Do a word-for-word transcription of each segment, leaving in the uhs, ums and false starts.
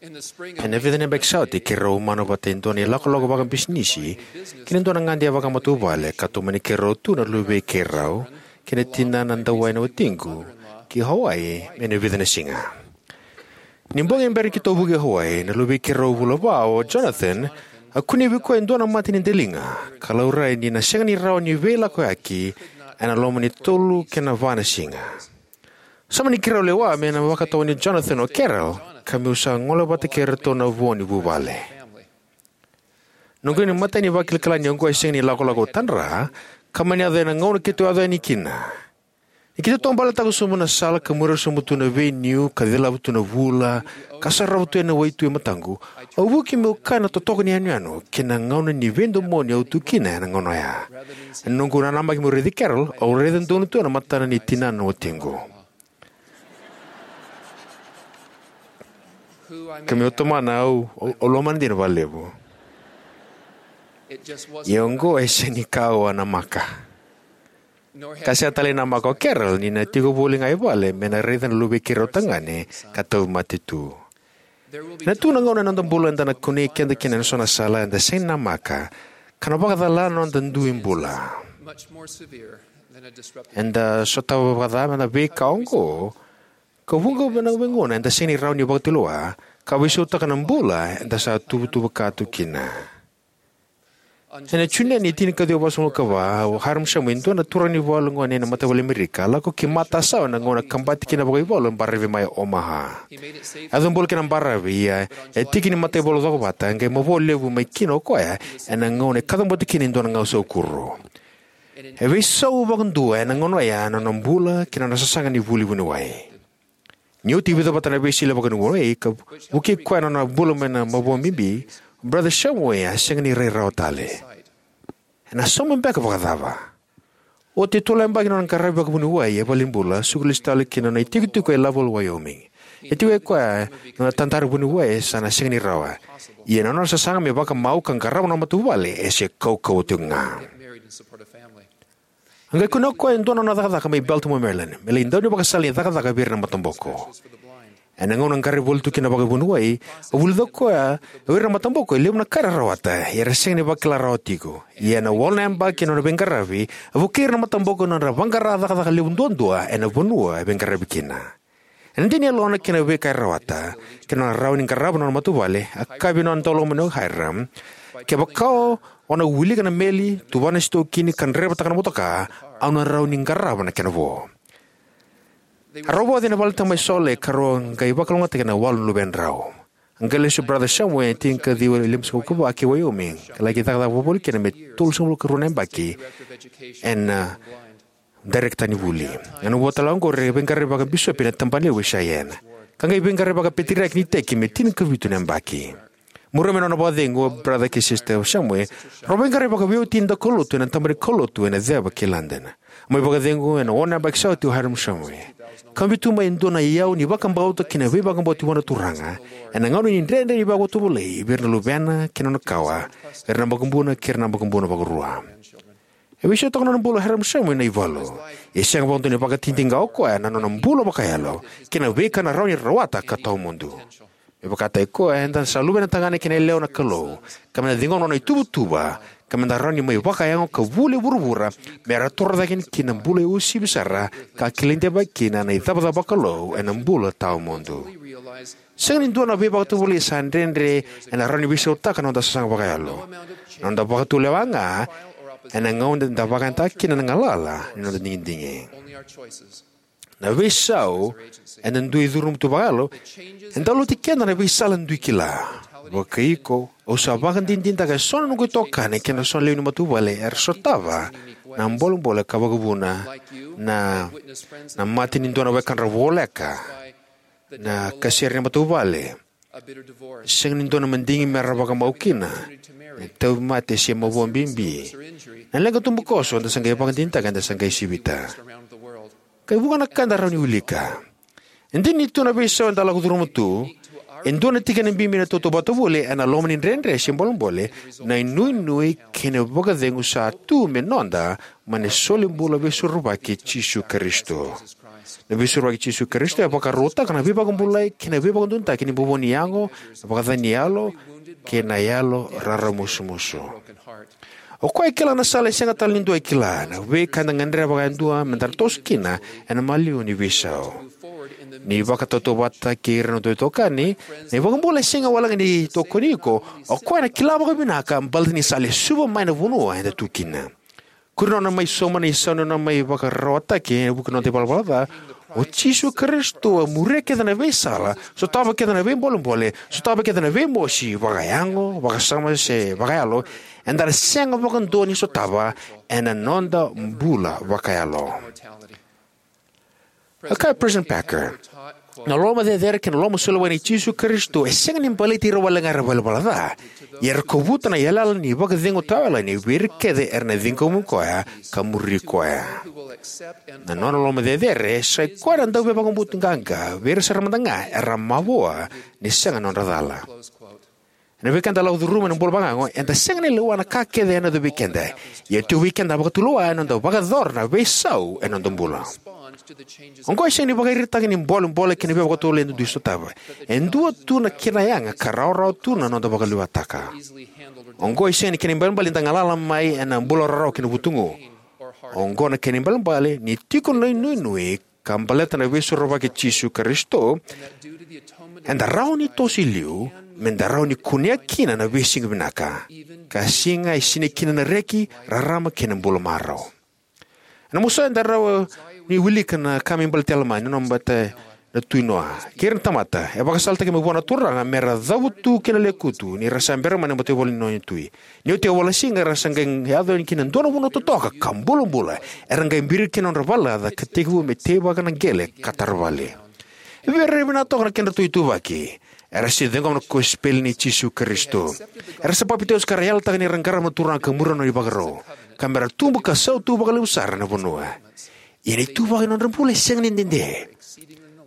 Ena vica na yabaki sa oti, keirau umana vata e dua na ilakolako vakabisinisi kei na dua na gade vakamatavuvale, ka tomani keirau tu na luvei keirau kei na tinana dau wai na watiqu ki Hawaii me na vica na siga. Ni bogi e bera ni keitou vuki Hawaii, na luvei keirau vula va, o Jonathan, a kunei vei koya e dua na mata ni daliga, ka laurai ni na sega ni rawa ni veilakoyaki ena loma ni tolu kei na va na siga. Sa mani keirau lewa me na vakatawani Jonathan o Carol, ka meu sa gole vata kei iratou na vo ni vuvale. Noqu ni matai ni vakilakila ni oqo e sega ni lakolako tadra, ka mani yaco ena gauna keitou yaco yani kina. Ni keitou taubaletaka sobu na sala ka muria sobu tu na veiniu ka cilava tu na vula ka sarava tu ena waitui e mataqu, au vuki meu kaya na totoka ni yanuyanu kei na gauna ni veidomoni au tu kina ena gauna oya. Ena noqu nanamaki meu raici Carol, au raica donu tu na matana ni tinana na watiqu. Ka meu tomana, au, au, au lomana dina vakalevu. Ia oqo e sega ni ka au a namaka. Ka sega tale ni namaka o Carol ni na tiko voli ga i vale me na raica na luvei keirau tagane ka tauvimate tu. Ena tu na gauna ena noda bula eda na kunei keda kina ena so na sala eda sega ni namaka, ka na vakacala na noda dui bula. Eda sotava vakaca na veika oqo, ka vuqa na veigauna eda sega ni rawa ni vakatulewa, ka veisautaka na bula eda sa tuvatuva ka tu kina. Ena June ni tinikaciwa vasagavulu ka va, o Hyrum Shumway, e dua na turaga ni valu gone ena mataivalu Amerika, a lako ki matasawa ena gauna kabati kina vakaivalu e baravi mai Omaha. A yaco bula ki na baravi, ia e tiki ni mataivalu cokovata, qai mavoa levu mai kina o koya ena gauna e kacabote kina e dua na gausau kuro. E veisau vakadua ena gauna oya na nona bula kei na nona sasaga ni vuli vuniwai. Ni oti e vica vata na veisiga vakanuinui ka vukei koya na nona bula mai na mavoa bibi, o Brother Shumway a sega ni rai rawa tale. Ena sauma beka vakacava? Oti e tolu na yabaki na nona qaravi vakavuniwai e valenibula, suka lesu tale ki na nona itikotiko e Lovell, Wyoming. E tiko e koya na nona tadara vuniwai e sa na sega ni rawa. Ia na nona sasaga me vakamau ka qarava na nona matavuvale e se kaukauwa tiko ga. A qai kunea o koya e dua na nona cakacaka mai Baltimore, Maryland, me lai dau ni vakasala ni cakacaka vei ira na mataboko. Ena gauna a qaravi voli tu kina vakavuniwai, a vulica o koya o ira na mataboko e levu na ka era rawata, ia era sega ni vakila rawa tiko. Ia ena walu na yabaki na nona veiqaravi, a vukei ira na mataboko na nodra vaqara cakacaka levu duadua ena vanua e veiqaravi kina. Ena dei ni yalona kei na veika e rawata, kei na nona rawa ni qarava na nona matavuvale, a kaya vei nona daulomani o Hyrum, "Kevaka o na wilika na meli, tuvana na sitokini ka draivataka na motoka, au na rawa ni qarava na kena vo." A rau vauci ena valetabu mai Salt Lake ka rau qai vakalougatataki ena walu na luvedrau. A qai lesu o Brother Shumway ena tinikaciwa limasagavulu ka va ki Wyoming, ka laki cakacaka vakavoli kina me tolusagavulu ka rua na yabaki ena dairekita ni vuli. Ena vua tale ga oqori, a veiqaravi vakabisopi ena Tabana Levu e Cheyenne, ka qai veiqaravi vakapeteriaki ni iteki me tinikavitu na yabaki. Muria mai na nona vakacegu, o Brother kei Sister Shumway rau veiqaravi vakaveiwatini daukaulotu ena tabana ni kaulotu ena ceva ki London. Mai vakacegu ena ono na yabaki sa oti o Hyrum Shumway, ka biu tu mai e dua na iyau ni vakabauta kei na veivakabauti vua na Turaga ena gauna ni dredre ni vakatovolei vei ira na luvena kei na nona kawa, vei ira na makubuna kei ira na makubuna vakarua. E veisautaka na nona bula o Hyrum Shumway na ivalu. E sega vakadua ni vakadinadinataka o koya na nona bula vakayalo kei na veika na rawa ni rawata ka tawamudu. Me vakataki koya, eda sa luvena tagane kei na yalewa na Kalou, ka meda ciqoma na nona ituvatuva, ka meda rawa ni mai vakayago ka vuli e vuravura, me ra torocake kina na bula e uasivi sara ka kilai deivaki kina na icavacava vakalou ena bula tawamudu. Sega ni dua na veivakatovolei sa dredre ena rawa ni veisautaka na noda sasaga vakayalo. Na noda vakatulewa ga ena gauna eda vakayagataka kina na galala ni noda digidigi. Na veisau eda dui curuma tu vakayalo e dau lauti keda na veisala dui kila. Vakaiko, au sa vakadinadinataka eso na noqu itokani kei na so na lewe ni matavuvale era sotava na bolebole ka vakavuna na, na mate ni dua na wekadra voleka, na kasere ni matavuvale, sega ni dua na madigi me ra vakamau kina, na tauvimate se mavoa bibi, na leqa tubukoso eda sa qai vakadinadinataka eda sa qai sivita. Ka e vuqa na ka eda rawa ni wilika. E dina ni tu na veisau eda lako curuma tu, e dua na tikina bibi na tautauvata voli ena loma ni dredre se bolebole, na inuinui kei na vakacegu sa tu me noda mai na solibula veisorovaki i Jisu Karisito. Na Veisorovaki i Jisu Karisito e vakarautaka na veivakabulai kei na veivakaduataki ni bobo ni yago, na vakacacani ni yalo, kei na yalo raramusumusu. O koya e kila na sala e sega tale ni dua e kila, na veika eda gadreva vakayadua me da toso kina ena maliwa ni veisau. Ni vakatautauvatataki ira na noda itokani, na iVakabula e sega walega ni tokoni iko, o koya ena kila vakavinaka baleta ni sa lesuva mai na vanua eda tu kina. Kuri nona mai sauma na isau ni nona mai vakararawataki ena vuku ni noda ivalavala ca, o Jisu Karisito a muria kece na veisala, sotava kece na veibolebole, sotava kece na veimosi, vakayago, vakasama se vakayalo, eda na sega vakadua ni sotava ena noda bula vakayalo. A kaya o President Packer, na loloma cecere kei na loloma soli wai nei Jisu Karisito e sega ni baleti ira walega era ivalavala ca, ia era kovuta na yalayala ni vakacegu tawayalani vei ira kece era na ciqomi koya ka muri koya. Na nona loloma cecere, sai koya na dauveivakabauti qaqa vei ira sara mada ga era mavoa ni sega na nodra cala. Ena veika eda lako curuma ena bula vakayago, eda sega ni lewa na ka kece e yaco vei keda. Ia e tu vei keda na vakatulewa ena noda vakayacora na veisau ena noda bula. Oqo e sega ni vakairitaki ni bolebole kei na veivakatovolei eda dui sotava. E dua tu na kena yaga ka rawarawa tu na noda vakalewataka. Oqo e sega ni kena ibalebale ni da galala mai ena bula rarawa kei na vutugu. Oqo na kena ibalebale ni tiko na inuinui ka baleta na Veisorovaki i Jisu Karisito, eda rawa ni toso i liu me da rawa ni kunea kina na veisiga vinaka, ka siga e sinai kina na reki, rarama kei na bula marau. Ena masu eda rawa ni wilika na ka me baleti Alama, ni nona vata na tui Noa, kei ira na tamata e vakasalataki mai vua na Turaga me ra cavutu ki na lekutu ni ra sa bera mai na mataivalu ni nona tui. Ni oti e walu na siga era sa qai yaco yani kina e dua na vanua totoka ka bulabula, era qai biri kina na nodra vale laca ka tekivu me teivaka na qele ka tara vale. E vei ira era vinaka toka na kedratou ituvaki, era sa ciqoma na kosipeli nei Jisu Karisito. Era sa papitaiso ka ra yalataka ni ra qarava na Turaga ka muria na nona ivakarau, ka me ra tubu ka sautu vakalevu sara na vanua. Ia na ituvaki ni nodra bula e sega ni dede.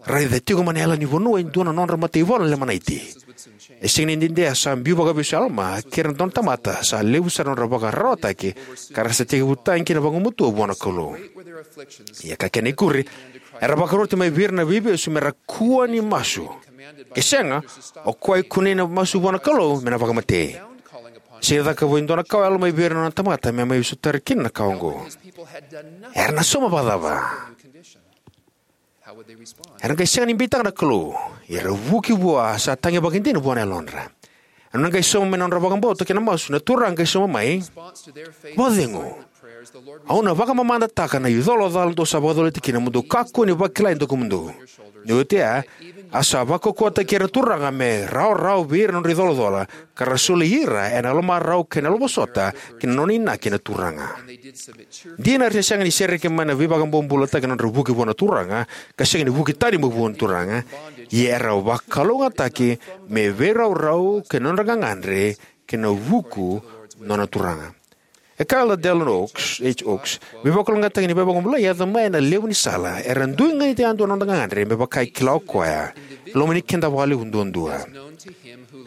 Raica, tiko mai na yala ni vanua e dua na nodra mataivalu na Lemanite. E sega ni dede, a sa biu vakavesu o Alama kei ira na dua na tamata sa levu sara na nodra vakararawataki, ka ra sa tekivu tagi kina vagumatua vua na Kalou. Ia ka kena ikuri, era vakaroti mai vei ira na veivesu me ra kua ni masu. Ke sega, o koya e kunei na masu vua na Kalou me na vakamatei. Sa cakava e dua na kawa o Alama mai vei ira na nona tamata me mai sotari kina na kawa oqo. Era na sauma vakacava? Era qai sega ni beitaka na Kalou, ia era vuki vua sa tagi vakaidina vua na yalodra. Era na qai sauma mai na nodra vakabauta kei na masu, na Turaga qai sauma mai: Vakacegu, au na vakamamadataka na icolacola dou sa vakacolati kina, mo dou kakua ni vakila e dakumudou. Ni oti oya, a sa vakaukauwataki ira na Turaga me rawarawa vei ira na nodra icolacola, ka ra soli ira ena yalomarau kei na yalovosota ki na nona inaki na Turaga. Dina era sega ni sereki mai na veivakabobulataki na nodra vuki vua na Turaga, ka sega ni vuki tani mai vua na Turaga, ia era vakalougatataki me veiraurau kei na nodra gagadre kei na vuku na nona Turaga. E kaya o Dallin H. Oaks, veivakalougatataki ni veivakabulai e yaco mai ena levu ni sala, era dui ganita yadua na noda gagadre me vaka e kila o koya, e lomani keda vakalevu duadua.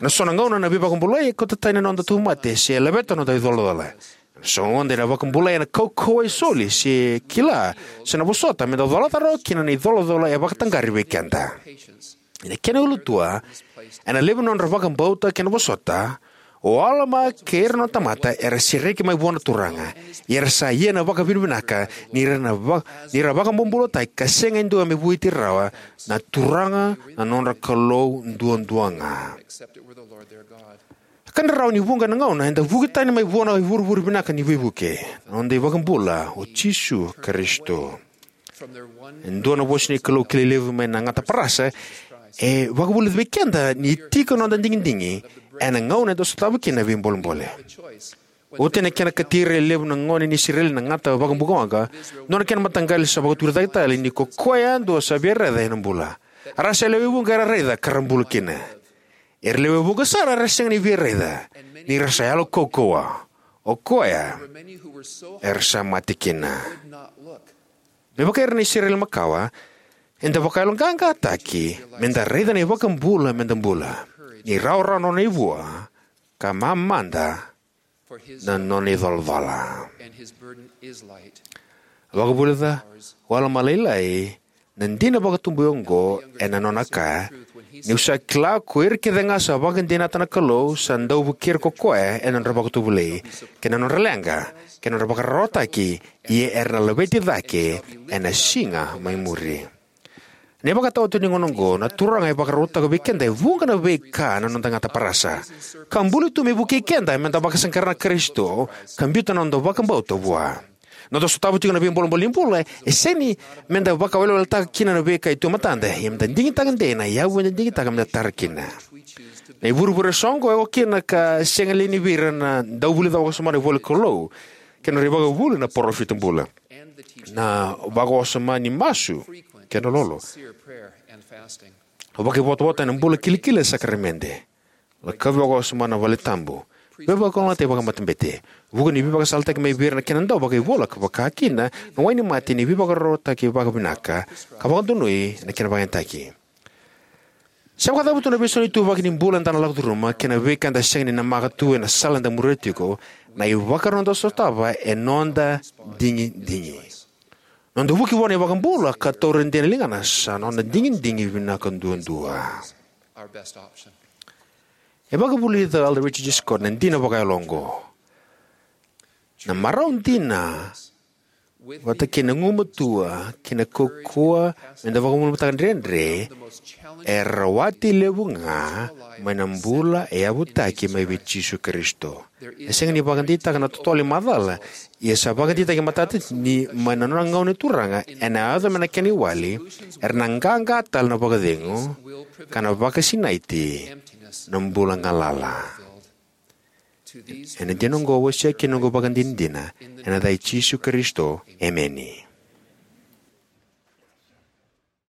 Ena so na gauna na veivakabulai e kauta tani na noda tauvimate se laveta na noda icolacola. Ena so na gauna na vakabulai ena kaukauwa e soli se kila, se na vosota me da colata rawa kina na icolacola e vakataqari vei keda. Ena kena ulutua, ena levu na nodra vakabauta kei na vosota, o Alama kei ira na nona tamata era sereki mai vua na Turaga, ia era sa ia na vakavinavinaka ni ra na va-, ni ra vakabobulataki ka sega e dua me vueti ira rawa, na Turaga na nodra Kalou duadua ga. Ka da rawa ni vuqa na gauna eda vuki tani mai vua na ivurevure vinaka ni veivuke, na noda iVakabula o Jisu Karisito. E dua na vosa ni Kalou kilai levu mai na gata parasa e vakavulica vei keda ni tiko na noda digidigi ena gauna eda sotava kina na veibolebole. Oti na kena katiri e levu na gone ni Isireli na gata vakabukawaqa, dua na kena mataqali sa vakaturi cake tale ni ko koya yadua sa via raica ena bula. A ra sa lewe vuqa era raica ka ra bula kina. Era lewe vuqa sara era sega ni via raica, ni ra sa yalo kaukauwa. O koya era sa mate kina. Me vaka ira na Isireli makawa, eda vakayaloqaqataki me da raica na iVakabula me da bula, ni rawarawa na nona ivua, ka mamada na nona icolacola. Vakavulica o Alama Lailai Na dina vakatubu oqo ena nona kaya: Niu sa kila ko ira kece ga sa vakadinata na Kalou sa dau vukei ira ko koya ena nodra vakatovolei kei na nodra leqa kei na nodra vakararawataki, ia era na laveti cake ena siga mai muri. Na ivakataotioti ni gauna oqo, na Turaga e vakarautaka vei keda e vuqa na veika na noda gata parasa ka buli tu me vukei keda meda vakasaqara na Karisito ka biuta na noda vakabauta vua. Noda sotava tiko na veibolebole ni bula e sega ni meda vakaweleweletaka kina na veika e tu e matada, ia meda digitaka dei na yavu eda digitaka meda tara kina. Na ivurevure soqo e oka kina ka sega li ni vei ira na dauvulica vakawasoma na ivolanikalou kei na nodra ivakavuvuli na parofita bula, na vakawasoma ni masu kei na lolo, vakaivotavota ena bula kilikili ena sakaramede, lakavi vakawasoma na valetabu, veivakalougatataki vakamatabete, vuku ni veivakasalataki mai vei ira na kenadau vakaivola, ka vaka kina na wainimate ni veivakarautaki vakavinaka ka vakadonui ena kena vakayagataki. Se vakacava tu na veiso ni ituvaki ni bula eda na lako curuma kei na veika eda sega ni namaka tu ena sala eda muria tiko, na ivakarau eda sotava e noda digidigi. Noda vuki vua na iVakabula ka taura dei na ligana sa noda digidigi vinaka duadua. E vakavulica o Elder Richard G. Scott na dina vakayalo oqo: Na marau dina, vata kei na gugumatua kei na kaukauwa meda vakabulabulataka na dredre, e rawati levu ga mai na bula e yavutaki mai vei Jisu Karisito. E sega ni vakadeitaka na totolo ni macala, ia sa vakadeitaki matata ni mai na nona gauna na Turaga ena yaco mai na kena iwali, era na qaqa tale na vakacegu ka na vakasinaiti na bula galala. Ena dina oqo au wasea kina noqu ivakadinadina ena yaca i Jisu Karisito, emeni.